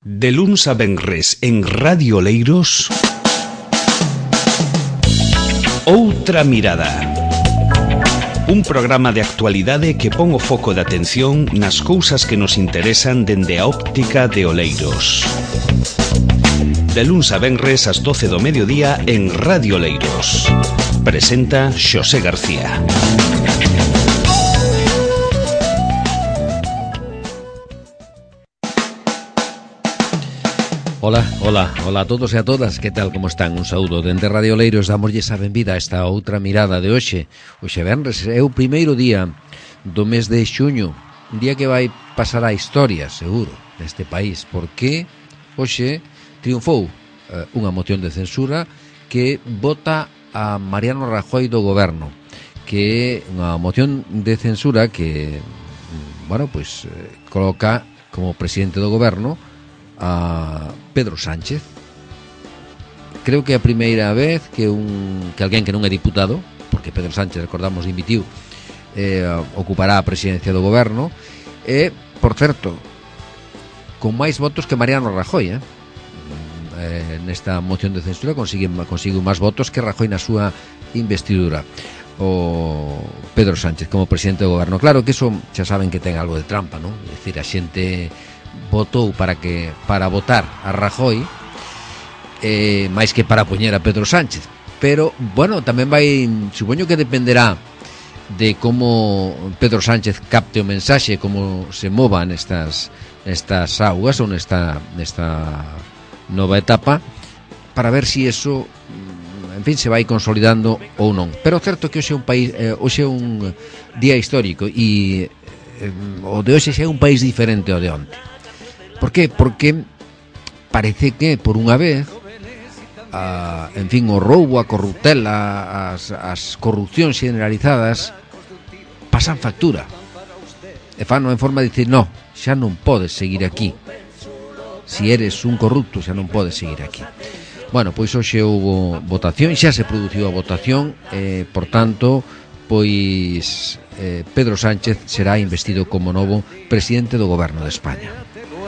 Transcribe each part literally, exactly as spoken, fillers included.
De luns a venres en Radio Oleiros, Outra Mirada. Un programa de actualidade que pon o foco de atención nas cousas que nos interesan dende a óptica de Oleiros. De luns a venres ás doce do mediodía en Radio Oleiros. Presenta Xosé García. Ola, ola, ola a todos e a todas, que tal, como están? Un saúdo dende Radio Oleiros, damoslle a benvida a esta outra mirada de hoxe. Hoxe venres é o primeiro día do mes de xuño, un día que vai pasar a historia, seguro, neste país, porque hoxe triunfou eh, unha moción de censura que vota a Mariano Rajoy do goberno, que é unha moción de censura que, bueno, pois eh, coloca como presidente do goberno a Pedro Sánchez. Creo que é a primeira vez que un que alguén que non é diputado, porque Pedro Sánchez, recordamos, dimitiu, eh, ocupará a presidencia do goberno, e, por certo, con máis votos que Mariano Rajoy, eh? Eh, nesta moción de censura consigue, consigue máis votos que Rajoy na súa investidura, o Pedro Sánchez como presidente do goberno. Claro que iso xa saben que ten algo de trampa, non? É dicir, a xente votou para que para votar a Rajoy eh, máis que para poñer a Pedro Sánchez, pero bueno, tamén vai, supoño que dependerá de como Pedro Sánchez capte o mensaxe, como se mova nestas, nestas augas ou nesta, nesta nova etapa, para ver si eso, en fin, se vai consolidando ou non. Pero certo que hoxe é un país, eh, hoxe é un día histórico e eh, o de hoxe é un país diferente ao de onte. Por qué? Porque parece que, por unha vez, a, en fin, o roubo, a corruptela, as, as corrupcións generalizadas pasan factura. E fano en forma de dicir, no, xa non podes seguir aquí. Si eres un corrupto, xa non podes seguir aquí. Bueno, pois hoxe houve votación, xa se produciu a votación, eh, por tanto, pois eh, Pedro Sánchez será investido como novo presidente do goberno de España.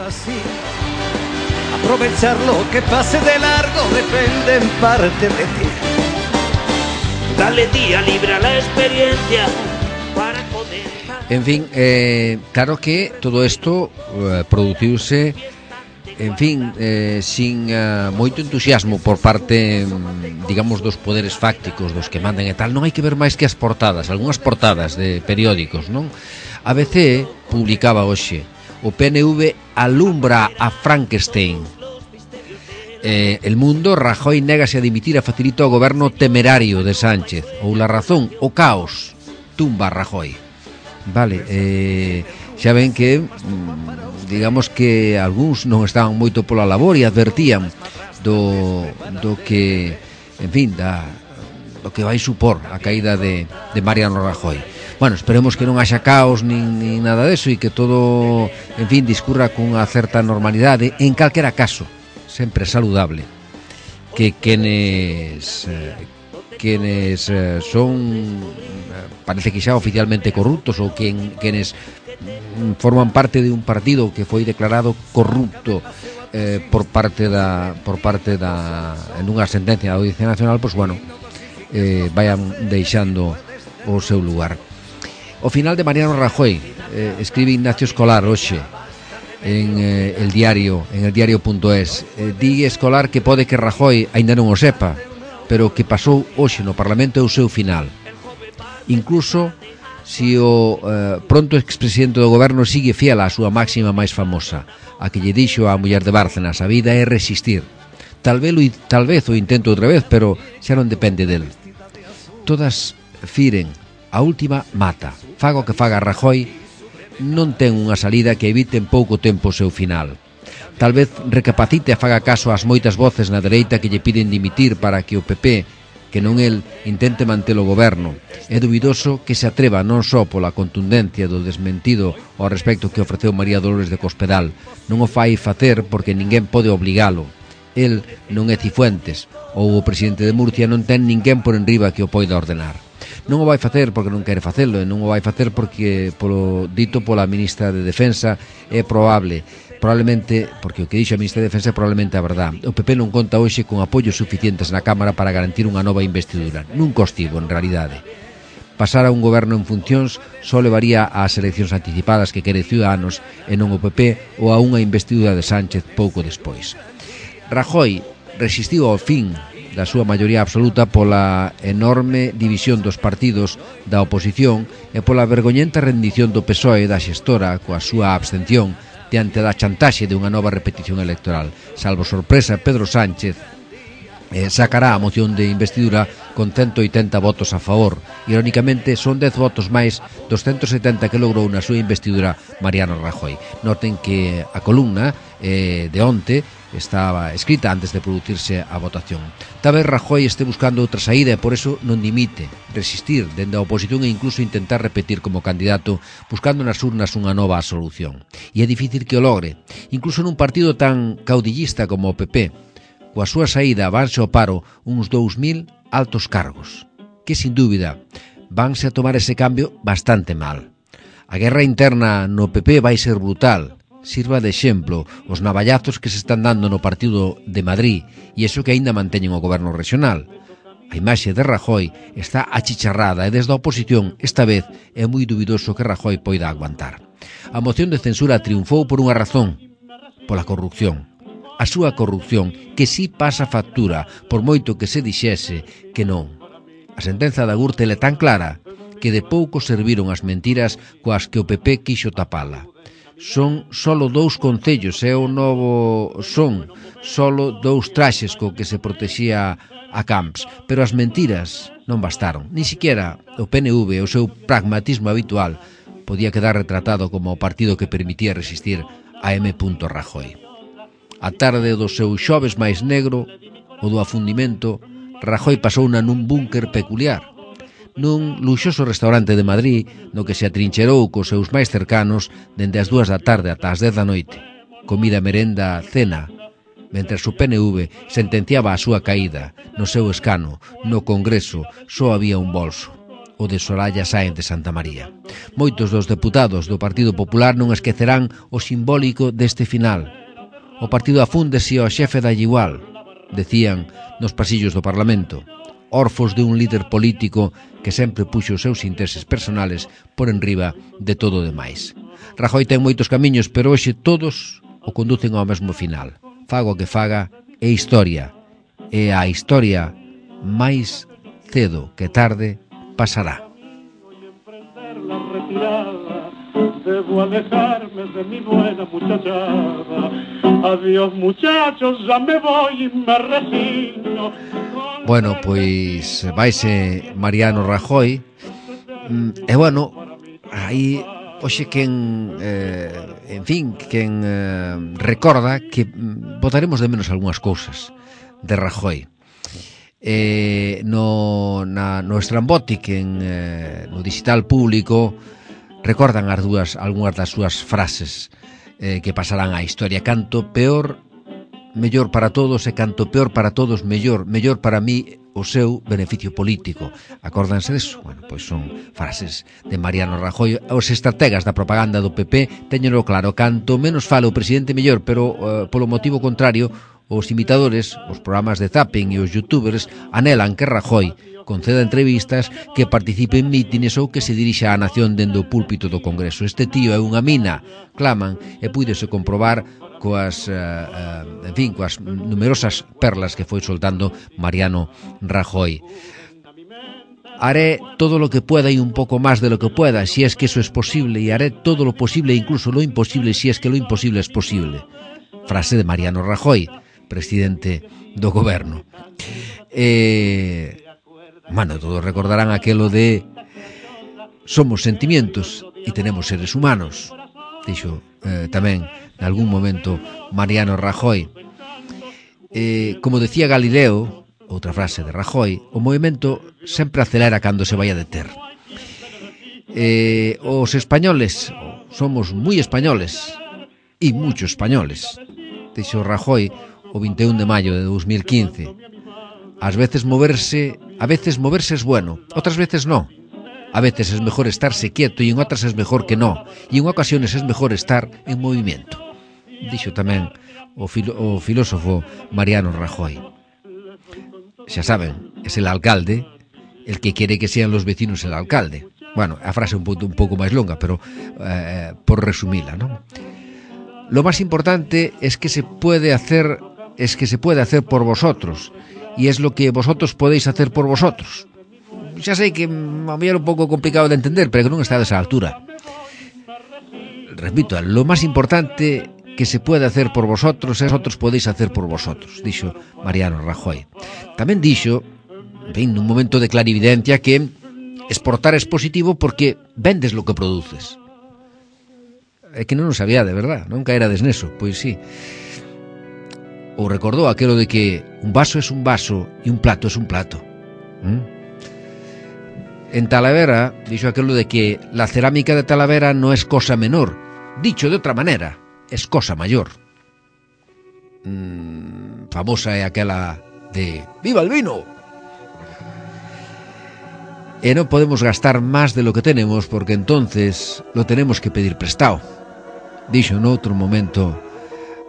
Así, aprovechar lo que pase de largo depende en parte de ti. Dale día libre a la experiencia para poder. En fin, eh, claro que todo isto eh, produciuse, en fin, eh, sin uh, moito entusiasmo por parte, digamos, dos poderes fácticos, dos que mandan e tal. Non hai que ver máis que as portadas, algunhas portadas de periódicos, non? A B C publicaba hoxe: o P N V alumbra a Frankenstein. Eh, El Mundo: Rajoy négase a dimitir e facilita o goberno temerario de Sánchez. Ou La Razón: o caos tumba a Rajoy. Vale, eh, xa ven que, digamos que algúns non estaban moito pola labor e advertían do, do que, en fin, da, do que vai supor a caída de, de Mariano Rajoy. Bueno, esperemos que non haxa caos nin, nin nada deso e que todo, en fin, discurra cunha certa normalidade. En calquera caso, sempre é saludable que quenes eh, quenes eh, son, parece que xa oficialmente corruptos, ou quen, quenes forman parte de un partido que foi declarado corrupto eh, por parte da por parte da en unha sentencia da Audiencia Nacional, pois bueno, eh, vayan deixando o seu lugar. O final de Mariano Rajoy, eh, escribe Ignacio Escolar hoxe en eh, el diario, en el diario.es. Eh, di Escolar que pode que Rajoy aínda non o sepa, pero que pasou hoxe no Parlamento é o seu final. Incluso si o eh, pronto expresidente do goberno sigue fiel á súa máxima máis famosa, a que lle dixo á muller de Bárcenas: a vida é resistir. Tal vez, tal vez o intento outra vez, pero xa non depende del. Todas firen, a última mata. Faga o que faga Rajoy, non ten unha salida que evite en pouco tempo o seu final. Tal vez recapacite e faga caso ás moitas voces na dereita que lle piden dimitir para que o P P, que non el, intente manter o goberno. É dubidoso que se atreva non só pola contundencia do desmentido ao respecto que ofreceu María Dolores de Cospedal. Non o fai facer porque ninguén pode obligalo. El non é Cifuentes, ou o presidente de Murcia non ten ninguén por enriba que o poida ordenar. Non o vai facer porque non quere facelo, e non o vai facer porque, polo dito pola ministra de Defensa, é probable. probablemente, porque o que dixo a Ministra de Defensa é probablemente a verdade. O P P non conta hoxe con apoios suficientes na Cámara para garantir unha nova investidura. Nunca os tivo, en realidade. Pasar a un goberno en funcións só levaría ás eleccións anticipadas que quere Ciudadanos e non o P P, ou a unha investidura de Sánchez pouco despois. Rajoy resistiu ao fin da súa maioría absoluta pola enorme división dos partidos da oposición e pola vergoñenta rendición do P S O E da xestora coa súa abstención diante da chantaxe de unha nova repetición electoral. Salvo sorpresa, Pedro Sánchez eh, sacará a moción de investidura con ciento oitenta votos a favor. Irónicamente, son dez votos máis dos ciento setenta que logrou na súa investidura Mariano Rajoy. Noten que a columna eh, de onte estaba escrita antes de producirse a votación. Talvez Rajoy este buscando outra saída e por eso non dimite, resistir dende a oposición e incluso intentar repetir como candidato, buscando nas urnas unha nova solución. E é difícil que o logre, incluso nun partido tan caudillista como o P P. Coa súa saída vanse ao paro uns dous mil altos cargos, que sin dúbida vanse a tomar ese cambio bastante mal. A guerra interna no P P vai ser brutal. Sirva de exemplo os navallazos que se están dando no partido de Madrid e iso que aínda manteñen o goberno regional. A imaxe de Rajoy está achicharrada e desde a oposición esta vez é moi dubidoso que Rajoy poida aguantar. A moción de censura triunfou por unha razón, pola corrupción. A súa corrupción que si pasa factura por moito que se dixese que non. A sentenza da Gürtel é tan clara que de pouco serviron as mentiras coas que o P P quixo tapala. Son solo dous concellos, é o novo son, solo dous traxes co que se protexía a Camps, pero as mentiras non bastaron. Ni siquiera o P N V, o seu pragmatismo habitual, podía quedar retratado como o partido que permitía resistir a M. Rajoy. A tarde do seu xoves máis negro, o do afundimento, Rajoy pasouna nun búnker peculiar, nun luxoso restaurante de Madrid no que se atrincherou cos seus máis cercanos dende as dúas da tarde ata as dez da noite. Comida, merenda, cena, mentres o P N V sentenciaba a súa caída. No seu escano, no Congreso, só había un bolso, o de Soraya Sáenz de Santa María. Moitos dos deputados do Partido Popular non esquecerán o simbólico deste final. O partido afúndese ao xefe da igual, decían nos pasillos do Parlamento, orfos de un líder político que sempre puxo os seus intereses personales por enriba de todo o demais. Rajoy ten moitos camiños, pero hoxe todos o conducen ao mesmo final. Faga o que faga, é historia. E a historia, máis cedo que tarde, pasará. Debo alejarme de mi buena muchachada. Adiós muchachos, ya me voy y me resigno. Bueno, pois vaise Mariano Rajoy. E bueno, aí hoxe quen eh, en fin, quen eh, recorda que botaremos de menos algunhas cousas de Rajoy. Eh, no, na, no Estrambótic, en, eh, no digital público, recordan as dúas, algunhas das súas frases eh, que pasarán á historia. Canto peor, mellor para todos, e canto peor para todos, mellor, mellor para mí o seu beneficio político. Acórdanse deso? Bueno, pois son frases de Mariano Rajoy. Os estrategas da propaganda do P P teñenlo claro, canto menos fala o presidente mellor, pero eh, polo motivo contrario, os imitadores, os programas de zapping e os youtubers anelan que Rajoy conceda entrevistas, que participe en mítines ou que se dirixa á nación dende o púlpito do Congreso. Este tío é unha mina, claman, e púidese comprobar coas, uh, uh, en fin, coas numerosas perlas que foi soltando Mariano Rajoy. Haré todo lo que pueda y un poco más de lo que pueda, si es que eso es posible, y haré todo lo posible e incluso lo imposible, si es que lo imposible es posible. Frase de Mariano Rajoy, presidente do goberno. Eh... Bueno, todos recordarán aquelo de somos sentimientos e tenemos seres humanos, dixo eh, tamén nalgún momento Mariano Rajoy. Eh, como decía Galileo, outra frase de Rajoy, o movimento sempre acelera cando se vai a deter. Eh, os españoles somos moi españoles e mucho españoles, dixo Rajoy o vinte e un de maio de dos mil quince. Ás veces moverse, a veces moverse es bueno, otras veces no. A veces es mejor estarse quieto y en otras es mejor que no. Y en ocasiones es mejor estar en movimiento. dixo tamén o, filo, o filósofo Mariano Rajoy. Xa saben, es el alcalde el que quiere que sean los vecinos el alcalde. Bueno, a frase un pouco, un pouco máis longa, pero eh, por resumila, ¿no? Lo más importante es que se puede hacer, es que se puede hacer por vosotros, y es lo que vosotros podéis hacer por vosotros. Xa sei que a mí era un pouco complicado de entender, pero que non está a esa altura. Repito, lo más importante que se puede hacer por vosotros es vosotros podéis hacer por vosotros, dixo Mariano Rajoy. Tamén dixo, en fin, nun momento de clarividencia, que exportar es positivo porque vendes lo que produces. É que non o sabía de verdad, non caerades neso, pois sí. Ou recordou aquelo de que un vaso es un vaso e un plato es un plato. ¿Mm? En Talavera dixo aquelo de que la cerámica de Talavera no es cosa menor. Dicho de outra manera, es cosa mayor. Mm, famosa é aquela de ¡viva el vino! E non podemos gastar máis de lo que tenemos porque entonces lo tenemos que pedir prestado. Dixo noutro momento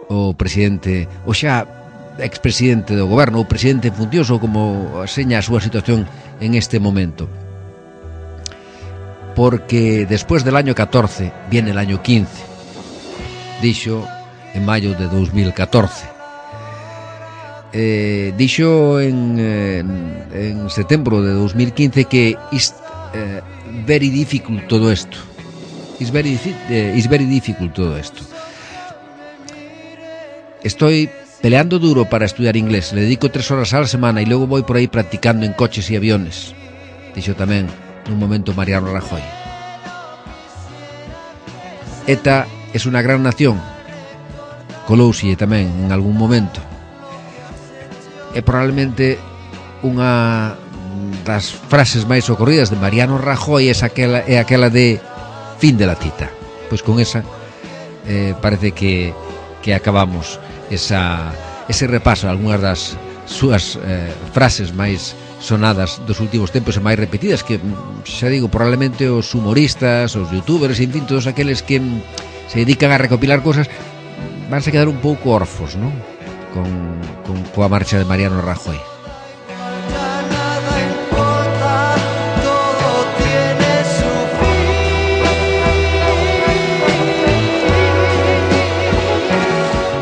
o presidente, o xa expresidente do goberno, o presidente funcionoso, como seña a súa situación en este momento. Porque después del año catorce viene el año quince, dixo en mayo de dos mil catorce. Eh, dixo en, en, en setembro de dos mil quince que is eh, very difficult todo esto. Is very, eh, is very difficult todo esto. Estoy peleando duro para estudiar inglés. Le dedico tres horas a la semana y luego voy por ahí practicando en coches y aviones. Dixo tamén nun momento Mariano Rajoy. ETA es una gran nación, colouse tamén en algún momento. É probablemente unha das frases máis ocorridas de Mariano Rajoy é aquela, é aquela de fin de la cita. Pois con esa eh, parece que, que acabamos esa, ese repaso a algunhas das súas eh, frases máis sonadas dos últimos tempos e máis repetidas, que xa digo, probablemente os humoristas, os youtubers, en fin, todos aqueles que se dedican a recopilar cosas vanse a quedar un pouco orfos, non? Con, con coa marcha de Mariano Rajoy.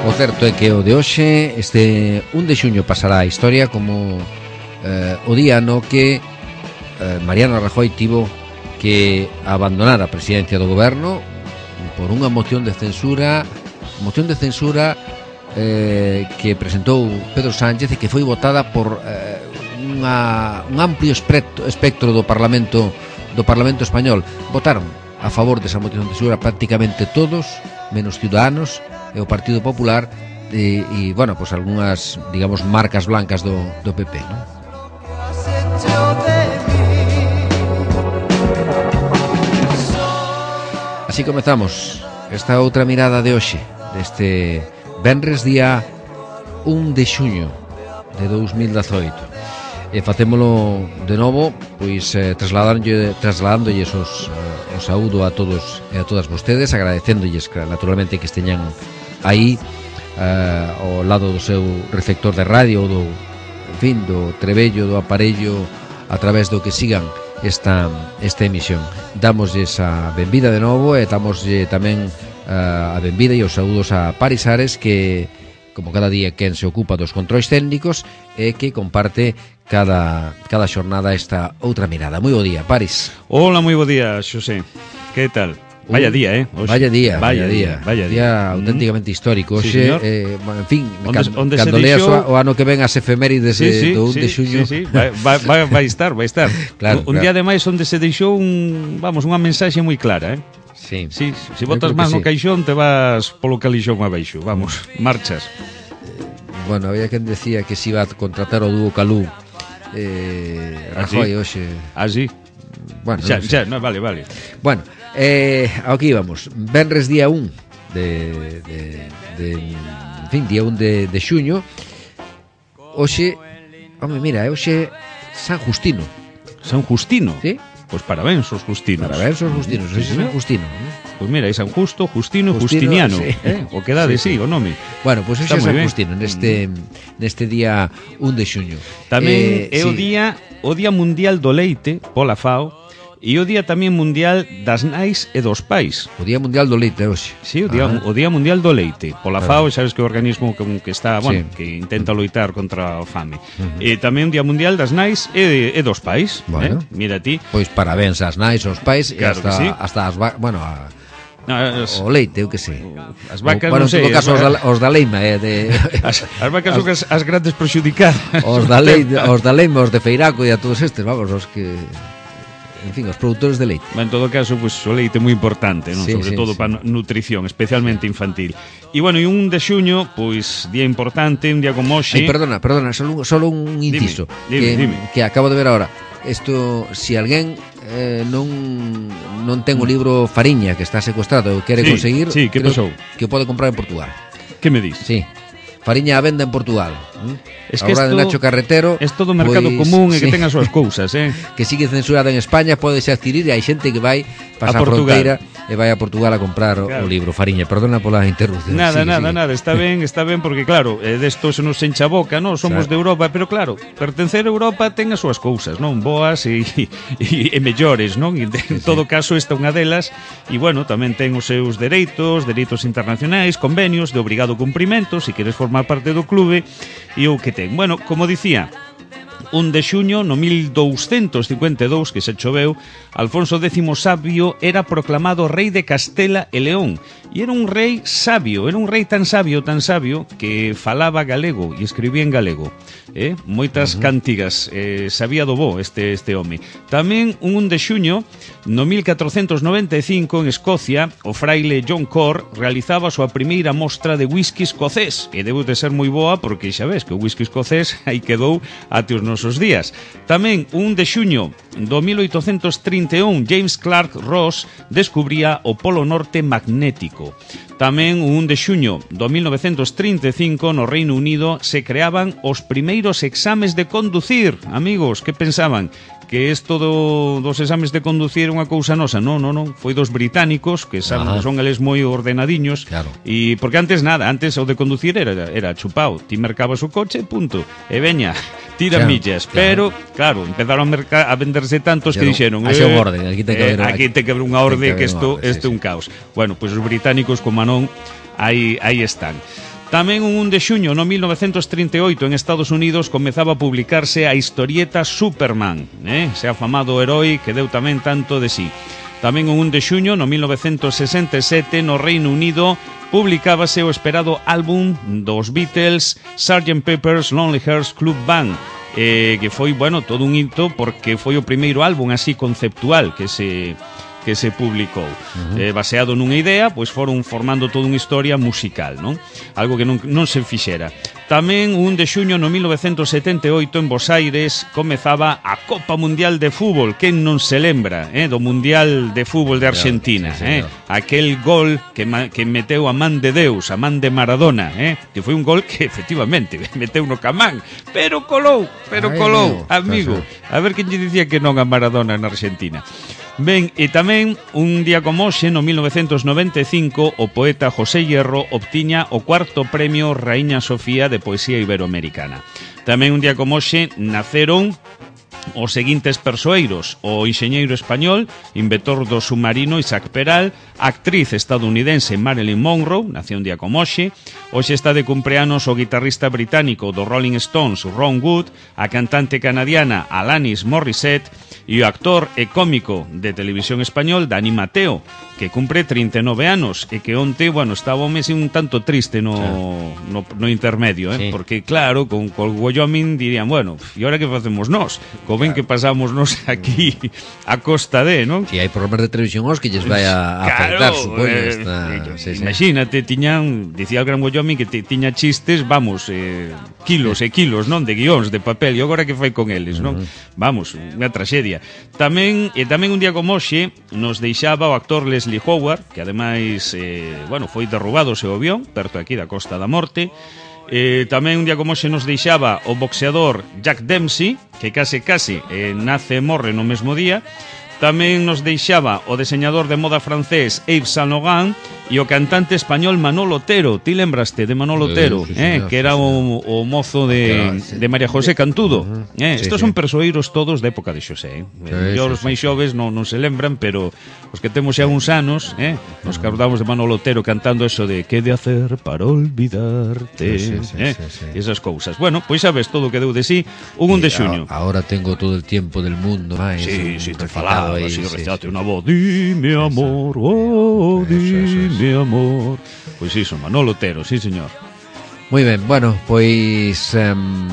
O certo é que o de hoxe, este un de xuño, pasará a historia como Eh, o día no que eh, Mariano Rajoy tivo que abandonar a presidencia do goberno por unha moción de censura moción de censura eh, que presentou Pedro Sánchez e que foi votada por eh, unha, un amplio espectro, espectro do Parlamento do Parlamento español. Votaron a favor desa moción de censura prácticamente todos, menos Ciudadanos e o Partido Popular e, e bueno, pues algunhas, digamos, marcas blancas do, do P P, ¿no? Así comezamos esta outra mirada de hoxe, deste venres día un de xuño de dos mil dezoito. E facémolo de novo, pois eh, trasladándolle, trasladándolles os, eh, o saúdo a todos e a todas vostedes, agradecéndolles naturalmente que esteñan aí eh, ao lado do seu receptor de radio ou do, en fin, do trebello, do aparello a través do que sigan esta, esta emisión. Damoslle a benvida de novo e damoslle tamén uh, a benvida e os saúdos a Paris Ares, que, como cada día, quen se ocupa dos controis técnicos e que comparte cada, cada xornada esta outra mirada. Moi bo día, Paris. Hola, moi bo día, Xosé. Que tal? Vaya día, eh? Oxe, vaya día, vaya, vaya día, vaya día. Día auténticamente histórico. Oxe, sí, eh, en fin, onde, can, onde cando leas dixo... o, o ano que ven as efemérides sí, sí, do un sí, de xuño. Sí, sí, vai, vai, vai estar, vai estar. Claro, un claro. día ademais onde se deixou un, vamos, unha mensaxe moi clara, eh? Sí. Sí, se si botas máis no sí. caixón te vas polo calixón abaixo. Vamos, marchas. Bueno, había quen decía que se iba a contratar o dúo Calú. Eh, Rajoy, ¿Ah, sí? Oxe. Ah, sí. Bueno, xa, no sé. xa, no, vale, vale. Bueno, eh, aquí íbamos. Venres día un de, de, de en fin, día un de, de xuño. Oxe, home, mira, é oxe San Justino. San Justino? Sí? Pois parabéns aos Justinos. Parabéns aos Justinos, ese é San Justino. Pois mira, hai San Justo, Justino e Justino, Justiniano, sí. eh? O que dade, sí, sí, o nome. Bueno, pois pues ese é moi San ben. Justino neste neste día un de xuño. Tamén Eh, é o sí. día o Día Mundial do Leite, pola FAO, e o Día tamén Mundial das Nais e dos Pais. O Día Mundial do Leite hoxe. Sí, o día, Ah. o día Mundial do Leite. Pola FAO, sabes que é o organismo que, que está, bueno, Sí. que intenta loitar contra a fame. Uh-huh. E tamén o Día Mundial das Nais e, e dos Pais. Bueno. Eh? Mira ti. Pois parabéns ás nais, aos pais e Claro hasta, que sí. hasta as va- bueno, a, As, o leite, eu que sei. as vacas, o, bueno, non sei. en todo caso, as, os da, os da leima, eh, de, as, as vacas son as, as grandes prexudicadas. os da leite, os da leima, os de Feiraco e a todos estes, vamos, os que, en fin, os produtores de leite. En todo caso, pues, o leite é moi importante, non? Sí, Sobre sí, todo sí. para nutrición, especialmente infantil. E bueno, e un de xuño, pois día importante, un día como hoxe. Ay, perdona, perdona, solo, solo un inciso dime, que, dime. que acabo de ver ahora. Esto, si alguén eh, non non ten o libro Fariña que está secuestrado e o quere Sí, conseguir, sí, que creo pasou? que o pode comprar en Portugal. Que me dis? Sí. Fariña a venda en Portugal. ¿eh? Es que Ahora esto- de Nacho Carretero. Es todo mercado pois, común e que sí, ten as súas cousas, eh? que sigue censurado en España, pódese adquirir e hai xente que vai A pasar a Portugal. fronteira e vai a Portugal a comprar o- Claro. o libro Fariña. Perdona pola interrupción. Nada, Sigue, nada, sigue. nada, está ben, está ben porque claro, eh, desto se nos encha a boca, non? Somos Claro. de Europa, pero claro, pertencer a Europa ten as súas cousas, non? Boas e, e, e mellores, non? E en todo caso esta é unha delas e bueno, tamén ten os seus dereitos, dereitos internacionais, convenios de obrigado cumprimento, se queres formar parte do clube e o que ten. Bueno, como dicía, un de xuño no mil douscentos cincuenta e dous, que se choveu, Alfonso décimo Sabio era proclamado rei de Castela e León. E era un rei sabio, era un rei tan sabio, tan sabio, que falaba galego e escribía en galego. Eh? Moitas uh-huh. cantigas, eh, sabía do bo este, este home. Tamén un un de xuño, no mil catrocentos noventa e cinco, en Escocia, o fraile John Corr realizaba a súa primeira mostra de whisky escocés. E debeu de ser moi boa porque xa ves que o whisky escocés aí quedou até os nosos días. Tamén un de xuño do mil oitocentos trinta e un, James Clark Ross descubría o polo norte magnético. Tamén un de xuño do mil novecentos trinta e cinco no Reino Unido se creaban os primeiros exames de conducir. Amigos, que pensaban? Que isto do, dos exames de conducir é unha cousa nosa? Non, non, non, foi dos británicos que saben Ajá. que son eles moi ordenadiños. Claro. E porque antes nada, antes o de conducir era, era chupao. Ti mercabas o coche, punto. E veña, tira Claro, millas. claro. Pero, claro, empezaron a, merca, a venderse tantos que Dixeron, dixeron "Haxe un orden, aquí ten que eh, haber- aquí ten que haber unha ten orde que que haber isto unha orde, este é sí, un caos." Bueno, pois pues os británicos, como non, aí, aí están. Tamén un un de xuño no mil novecentos trinta e oito en Estados Unidos comezaba a publicarse a historieta Superman, eh? ese afamado herói que deu tamén tanto de sí. Tamén un un de xuño no mil novecentos sesenta e sete no Reino Unido publicábase o esperado álbum dos Beatles, sergeant Pepper's Lonely Hearts Club Band, eh, que foi, bueno, todo un hito porque foi o primeiro álbum así conceptual que se que se publicou. Uh-huh. Eh, baseado nunha idea, pois foron formando toda unha historia musical, non? Algo que non, non se fixera. Tamén un de xuño no mil novecentos setenta e oito en Bos Aires comezaba a Copa Mundial de Fútbol. Quen non se lembra, eh, do Mundial de Fútbol de Argentina, sí, eh? señor. Aquel gol que, ma, que meteu a man de Deus, a man de Maradona, eh? Que foi un gol que efectivamente meteu no camán, pero colou, pero Ai, colou, meu, amigo. A ver quen lle dicía que non a Maradona na Argentina. Ben, e tamén un día como hoxe, no mil novecentos noventa e cinco, o poeta José Hierro obtiña o cuarto premio Raíña Sofía de Poesía Iberoamericana. Tamén un día como hoxe naceron os seguintes persoeiros: o enxeñeiro español, inventor do submarino Isaac Peral, a actriz estadounidense Marilyn Monroe, nació un día como hoxe. Hoxe está de cumpleanos o guitarrista británico do Rolling Stones Ron Wood, a cantante canadiana Alanis Morissette e o actor e cómico de televisión español Dani Mateo, que cumpre trinta e nove anos e que onte, bueno, estaba un mes un tanto triste no, no, no intermedio, eh? Sí. Porque claro, con, con Wyoming dirían, bueno, e ahora que facemos nós? Co ben que pasamos nós aquí a costa de, non? Si hai programas de televisión aos que lles vai a, a afectar, supoño, eh, esta, eh, sí, sí. imagínate, tiñan, dicía o Gran Wyoming que te, tiña chistes, vamos, eh, kilos e kilos, non, de guións, de papel, e agora que fai con eles, non? Vamos, unha traxedia. Tamén, e tamén un día como hoxe nos deixaba o actor Leslie Howard, que ademais, eh, bueno, foi derrubado o seu avión, perto aquí da Costa da Morte. Eh, tamén un día como hoxe nos deixaba o boxeador Jack Dempsey, que case case eh, nace e morre no mesmo día. Tamén nos deixaba o deseñador de moda francés Yves Saint Laurent e o cantante español Manolo Otero. Ti lembraste de Manolo Otero, sí, sí, eh, señor, que era sí, o, o mozo de, sí. de María José Cantudo. Uh-huh. eh, Sí, Estos sí. son persoeiros todos de época de Xosé. Eh. Sí, Yo, sí, os sí. máis xoves non, non se lembran, pero os que temos xa uns anos, eh, nos acordamos de Manolo Otero cantando eso de "que de hacer para olvidarte", Sí, sí, sí, eh, sí, sí. e esas cousas. Bueno, pois sabes todo o que deu de sí un un de xuño. A, ahora tengo todo el tiempo del mundo. Máis, Sí, un sí, te recitado falaba, aí, así, sí, recitaste sí. unha voz. Dime amor, oh, Eso, eso, dime amor. Pois iso, Manolo Otero, sí, señor. Moi ben, bueno, pois um,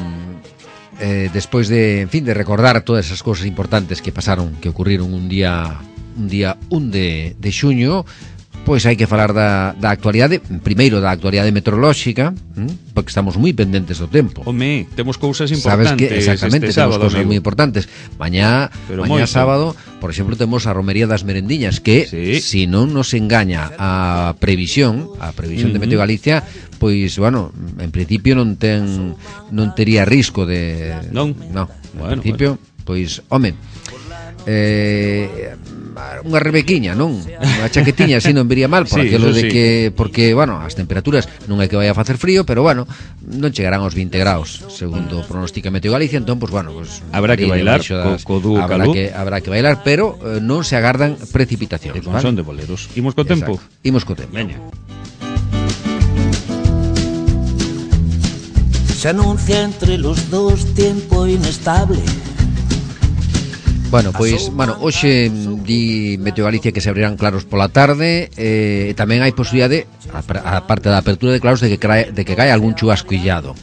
eh, despois de, en fin, de recordar todas esas cousas importantes que pasaron, que ocurriron un día un día un de, de xuño, pois hai que falar da, da actualidade, primeiro da actualidade meteorolóxica, ¿m? Porque estamos moi pendentes do tempo. Home, temos cousas Sabes importantes. que exactamente este temos sábado, cousas amigo. moi importantes. Mañá, Pero mañá moito. sábado, por exemplo, temos a romería das merendiñas que, Sí. si non nos engaña a previsión, a previsión Uh-huh. de Meteo Galicia, pois, bueno, en principio non ten non tería risco de Non? No, en Bueno, principio, pois, home, eh unha rebequiña, non? Unha chaquetiña así non viría mal por Sí, aquilo eso de sí. que porque, bueno, as temperaturas non é que vai a facer frío, pero bueno, non chegarán aos vinte graus, segundo pronostica Meteo Galicia, entón pois bueno, pois Habrá que bailar co- co dúo habrá calú. que habrá que bailar, pero eh, non se agardan precipitacións, E con son de boleros. Imos co tempo. Exacto. Imos co tempo. Veña. Se anuncia entre los dos tiempo inestable. Bueno, pois, bueno, hoxe mm, di Meteo Galicia que se abrirán claros pola tarde, eh, e tamén hai posibilidade, a, a parte da apertura de claros, de que cae, de que cae algún chubasco illado.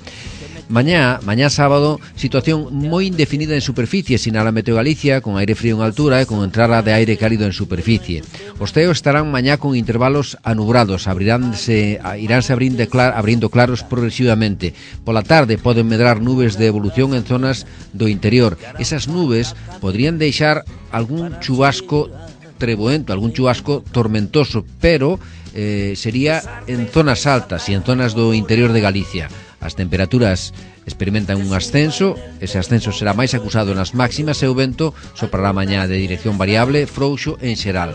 Mañá, mañá sábado, situación moi indefinida en superficie, sinala Meteo Galicia, con aire frío en altura e con entrada de aire cálido en superficie. Os ceos estarán mañá con intervalos anubrados, abriránse, iránse abrindo, clar, abrindo claros progresivamente. Pola tarde poden medrar nubes de evolución en zonas do interior. Esas nubes podrían deixar algún chubasco treboento, algún chubasco tormentoso, pero eh, sería en zonas altas e en zonas do interior de Galicia. As temperaturas experimentan un ascenso, ese ascenso será máis acusado nas máximas e o vento soprará mañá de dirección variable, frouxo en xeral.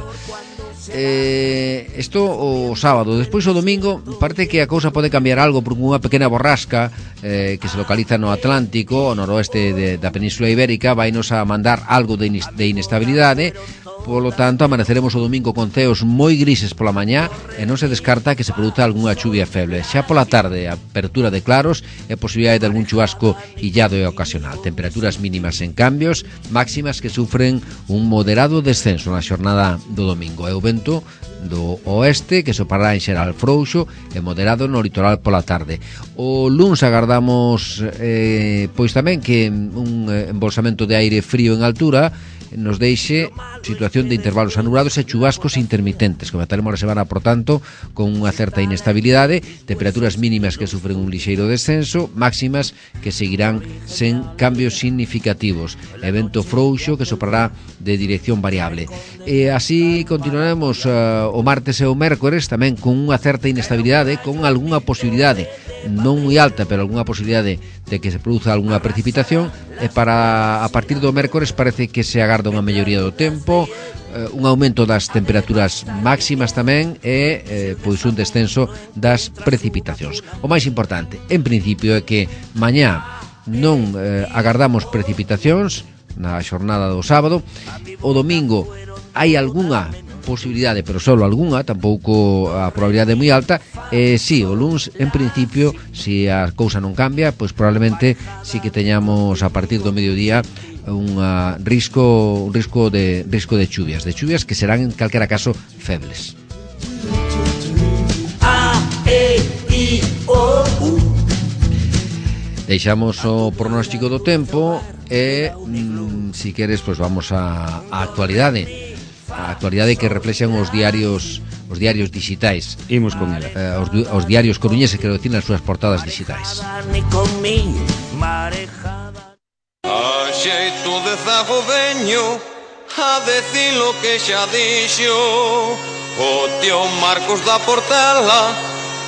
Eh, isto o sábado. Despois o domingo parece que a cousa pode cambiar algo por unha pequena borrasca eh, que se localiza no Atlántico, ao noroeste de, da Península Ibérica, vai nos a mandar algo de, inis, de inestabilidade. Polo tanto, amaneceremos o domingo con ceos moi grises pola mañá e non se descarta que se produza algunha chuvia feble. Xa pola tarde, apertura de claros e posibilidade de algún chubasco illado e ocasional. Temperaturas mínimas en cambios, máximas que sufren un moderado descenso na xornada do domingo. E o vento do oeste que sopará en xeral frouxo e moderado no litoral pola tarde. O luns agardamos eh, pois tamén que un embolsamento de aire frío en altura nos deixe situación de intervalos anubrados e chubascos intermitentes. Comentaremos a semana, por tanto, con unha certa inestabilidade, temperaturas mínimas que sufren un lixeiro descenso, máximas que seguirán sen cambios significativos. Evento frouxo que soprará de dirección variable. E así continuaremos uh, o martes e o mércores tamén con unha certa inestabilidade, con algunha posibilidade non moi alta, pero algunha posibilidade de que se produza algunha precipitación, e para a partir do mércores parece que se agarda unha melloría do tempo, eh, un aumento das temperaturas máximas tamén e eh, pois un descenso das precipitacións. O máis importante, en principio, é que mañá non eh, agardamos precipitacións na xornada do sábado. O domingo hai algunha posibilidade, pero solo algunha, tampouco a probabilidade moi alta. E si, o luns, en principio, se a cousa non cambia, pois probablemente si que teñamos a partir do mediodía un risco un risco de risco de chuvias, de chuvias que serán en calquera caso febles. A, E, I, O, U. Deixamos o pronóstico do tempo e, mm, si queres, pois vamos á, á actualidade. A actualidade que reflexan os diarios os diarios digitais. Imos con ela. Eh, os, os diarios coruñeses, quero dicir, nas súas portadas digitais. Ni con mi marejada. A xeito de zago veño a decir lo que xa dixo o tío Marcos da Portela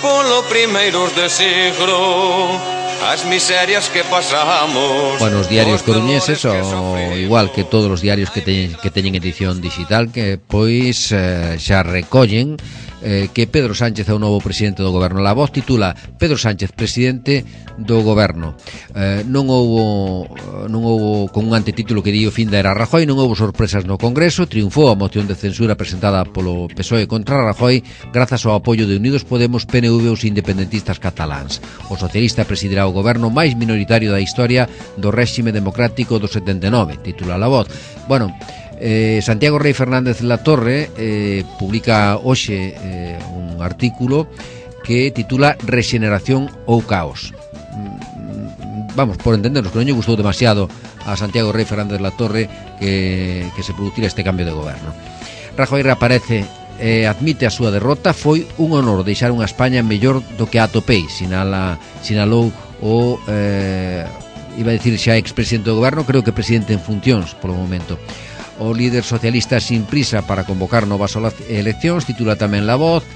polo primeiros de siglo. as miserias que pasamos. Bueno, os diarios coruñeses, o igual que todos os diarios que teñen, que teñen edición digital, que pois eh, xa recollen eh, que Pedro Sánchez é o novo presidente do goberno. La Voz titula Pedro Sánchez, presidente do goberno. Eh, non houbo non houbo con un antetítulo que di o fin da era Rajoy, non houbo sorpresas no Congreso, triunfou a moción de censura presentada polo P S O E contra Rajoy grazas ao apoio de Unidos Podemos, P N V e os independentistas cataláns. O socialista presidirá o goberno máis minoritario da historia do réxime democrático do setenta e nove, titula La Voz. Bueno, Eh, Santiago Rey Fernández Latorre eh, publica hoxe eh, un artículo que titula Rexeneración ou Caos. mm, Vamos, por entendernos, que non lle gustou demasiado a Santiago Rey Fernández Latorre que, que se producira este cambio de goberno. Rajoy reaparece e eh, admite a súa derrota. Foi un honor deixar unha España mellor do que atopei, sinala, sinalou o eh, iba a decir xa expresidente do goberno, creo que presidente en funcións polo momento. O líder socialista sin prisa para convocar novas eleccións, titula tamén La Voz,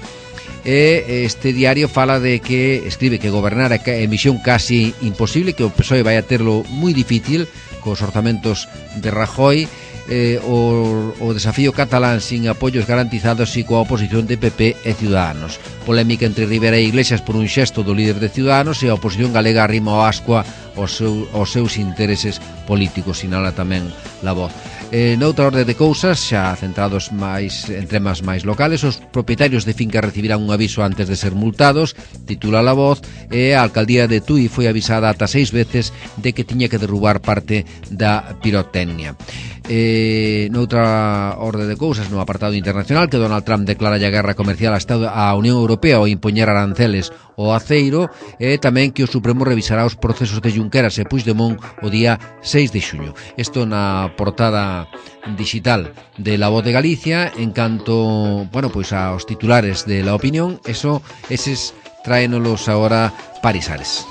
e este diario fala de que, escribe que gobernar é misión casi imposible, que o P S O E vai a terlo moi difícil cos orzamentos de Rajoy, eh, o, o desafío catalán sin apoios garantizados e coa oposición de P P e Ciudadanos. Polémica entre Rivera e Iglesias por un xesto do líder de Ciudadanos, e a oposición galega arrima ao ascua aos, seu, aos seus intereses políticos, sinala tamén La Voz. Eh, noutra orde de cousas, xa centrados máis en temas máis locales, os propietarios de fincas recibirán un aviso antes de ser multados, titula La Voz, e a alcaldía de Tui foi avisada ata seis veces de que tiña que derrubar parte da pirotecnia. Eh, noutra orde de cousas, no apartado internacional, que Donald Trump declara a guerra comercial á Unión Europea ao impoñer aranceles ao aceiro, e tamén que o Supremo revisará os procesos de Junqueras e Puigdemont o día seis de xuño. Isto na portada digital de La Voz de Galicia. En canto, bueno, pois aos titulares de La Opinión, eso, eses traénolos agora Parisares.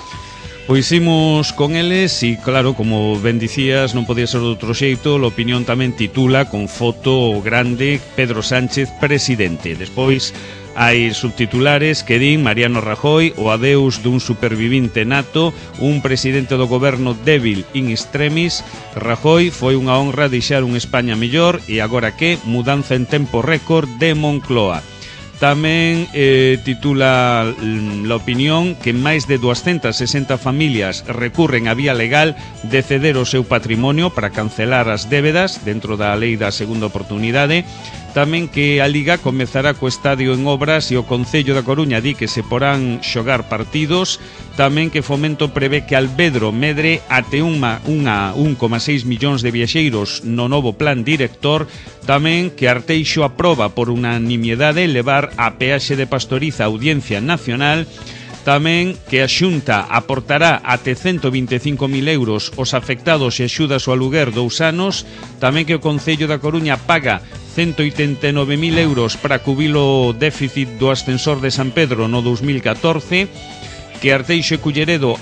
Pois imos con eles e, claro, como ben dicías, non podía ser de outro xeito. A Opinión tamén titula con foto grande Pedro Sánchez presidente. Despois hai subtitulares que din Mariano Rajoy, o adeus dun supervivinte nato, un presidente do goberno débil in extremis. Rajoy, foi unha honra deixar un España mellor, e agora que mudanza en tempo récord de Moncloa. Tamén eh, titula La Opinión que máis de doscientas sesenta familias recurren a vía legal de ceder o seu patrimonio para cancelar as débedas dentro da lei da segunda oportunidade. Tamén que a Liga comezará co estadio en obras e o Concello da Coruña di que se porán xogar partidos. Tamén que Fomento prevé que Albedro medre até unha, unha un coma seis millóns de viaxeiros no novo plan director. Tamén que Arteixo aproba por unanimidade levar a peaxe de Pastoriza a Audiencia Nacional. Tamén que a Xunta aportará até ciento vinte e cinco mil euros os afectados e axudas ao aluguer dous anos. Tamén que o Concello da Coruña paga ciento oitenta e nove mil euros para cubrir o déficit do ascensor de San Pedro no dos mil catorce. Que Arteixo e Culleredo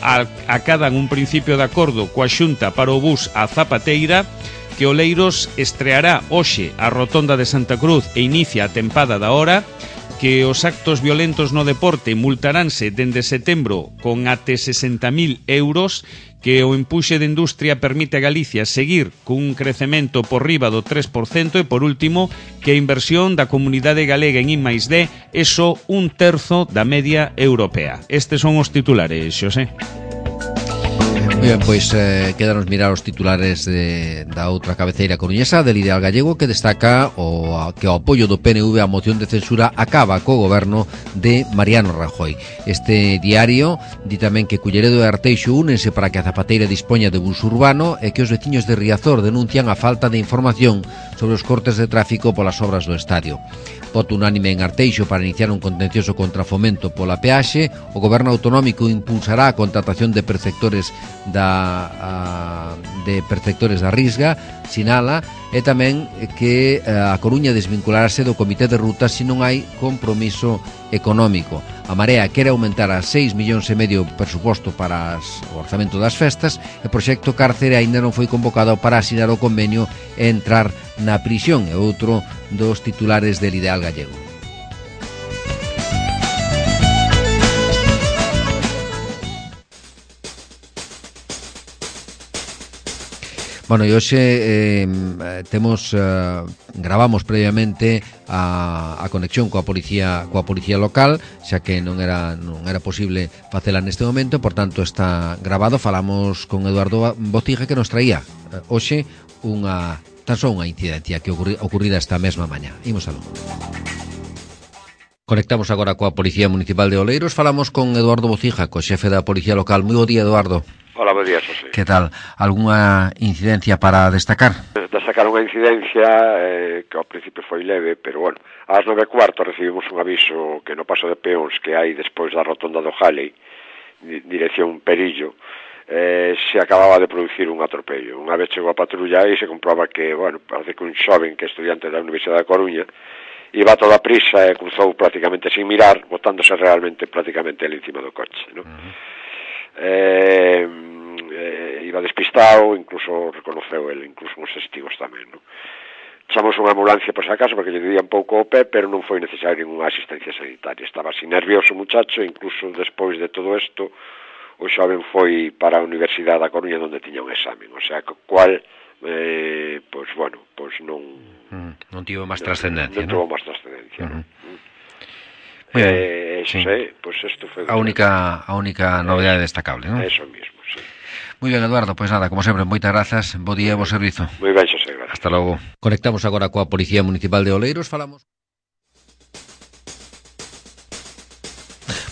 acadan un principio de acordo coa Xunta para o bus a Zapateira. Que Oleiros estreará hoxe a Rotonda de Santa Cruz e inicia a tempada da hora. Que os actos violentos no deporte multaránse dende setembro con até sesenta mil euros. Que o empuxe de industria permite a Galicia seguir cun crecemento por riba do tres por cento. E por último, que a inversión da comunidade galega en I máis D é só un terzo da media europea. Estes son os titulares, Xosé. Bien, pois eh, quedanos mirar os titulares de, da outra cabeceira coruñesa del Ideal Gallego, que destaca o, que o apoio do P N V á moción de censura acaba co goberno de Mariano Rajoy. Este diario di tamén que Culleredo e Arteixo únense para que a Zapateira dispoña de bus urbano, e que os veciños de Riazor denuncian a falta de información sobre os cortes de tráfico polas obras do estadio. Voto unánime en Arteixo para iniciar un contencioso contra Fomento pola peaxe. O goberno autonómico impulsará a contratación de perceptores da a, de perceptores da Risga, sinala, e tamén que a Coruña desvincularase do comité de rutas se non hai compromiso económico. A Marea quere aumentar a seis millóns e medio presuposto para o orzamento das festas, e o proxecto Cárcere aínda non foi convocado para asinar o convenio e entrar na prisión. É outro dos titulares del Ideal Gallego. Bueno, e hoxe eh, temos uh, gravamos previamente a, a conexión coa policía coa policía local, xa que non era non era posible facela neste momento, por tanto está grabado. Falamos con Eduardo Bocija, que nos traía uh, hoxe unha tan só unha incidencia que ocurri, ocurrida esta mesma mañá. Imos aló. Conectamos agora coa Policía Municipal de Oleiros. Falamos con Eduardo Bocija, co xefe da Policía Local. Moi bo día, Eduardo. Hola, bo día, Xosé. Que tal? Algúnha incidencia para destacar? Destacar unha incidencia eh, que ao principio foi leve, pero bueno, ás nove e cuarto recibimos un aviso que no paso de peóns que hai despois da rotonda do Jalley, dirección Perillo, eh, se acababa de producir un atropello. Unha vez chegou a patrulla e se comproba que, bueno, parece que un xoven que é estudiante da Universidade da Coruña iba a toda prisa e cruzou prácticamente sin mirar, botándose realmente prácticamente ali encima do coche, ¿no? Uh-huh. eh, eh, iba despistado, incluso reconoceu ele, incluso uns testigos tamén, ¿no? Chamamos unha ambulancia por si acaso porque lle día un pouco o pé, pero non foi necesario ninguna asistencia sanitaria. Estaba así nervioso o muchacho, incluso despois de todo isto o xoven foi para a Universidade da Coruña onde tiña un examen, o sea, que cual eh, pois bueno, pois non mm, non tivo máis trascendencia, non, non, non tivo máis trascendencia, uh-huh. non? Bueno, eh, sí. sei, pois isto foi a única a única novedade destacable, non? Eso mismo, sí. Moi ben, Eduardo, pois nada, como sempre, moitas grazas, bo día e bo servizo. Moi ben, Xosé, gracias. Hasta logo. Conectamos agora coa Policía Municipal de Oleiros, falamos.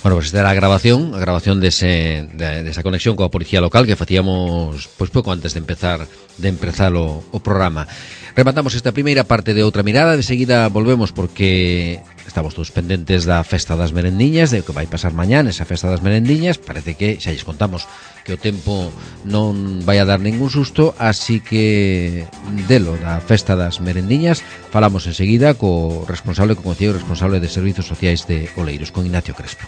Bueno, pues esta era a grabación, a grabación dese, de, de esa conexión coa Policía Local que facíamos pois pouco antes de empezar de empezar o, o programa. Rematamos esta primeira parte de Outra Mirada, de seguida volvemos porque estamos todos pendentes da Festa das Merendiñas, de o que vai pasar mañá nesa Festa das Merendiñas. Parece que xa lles contamos que o tempo non vai a dar ningún susto, así que delo da Festa das Merendiñas falamos enseguida co responsable, co concelleiro responsable de Servizos Sociais de Oleiros, con Ignacio Crespo.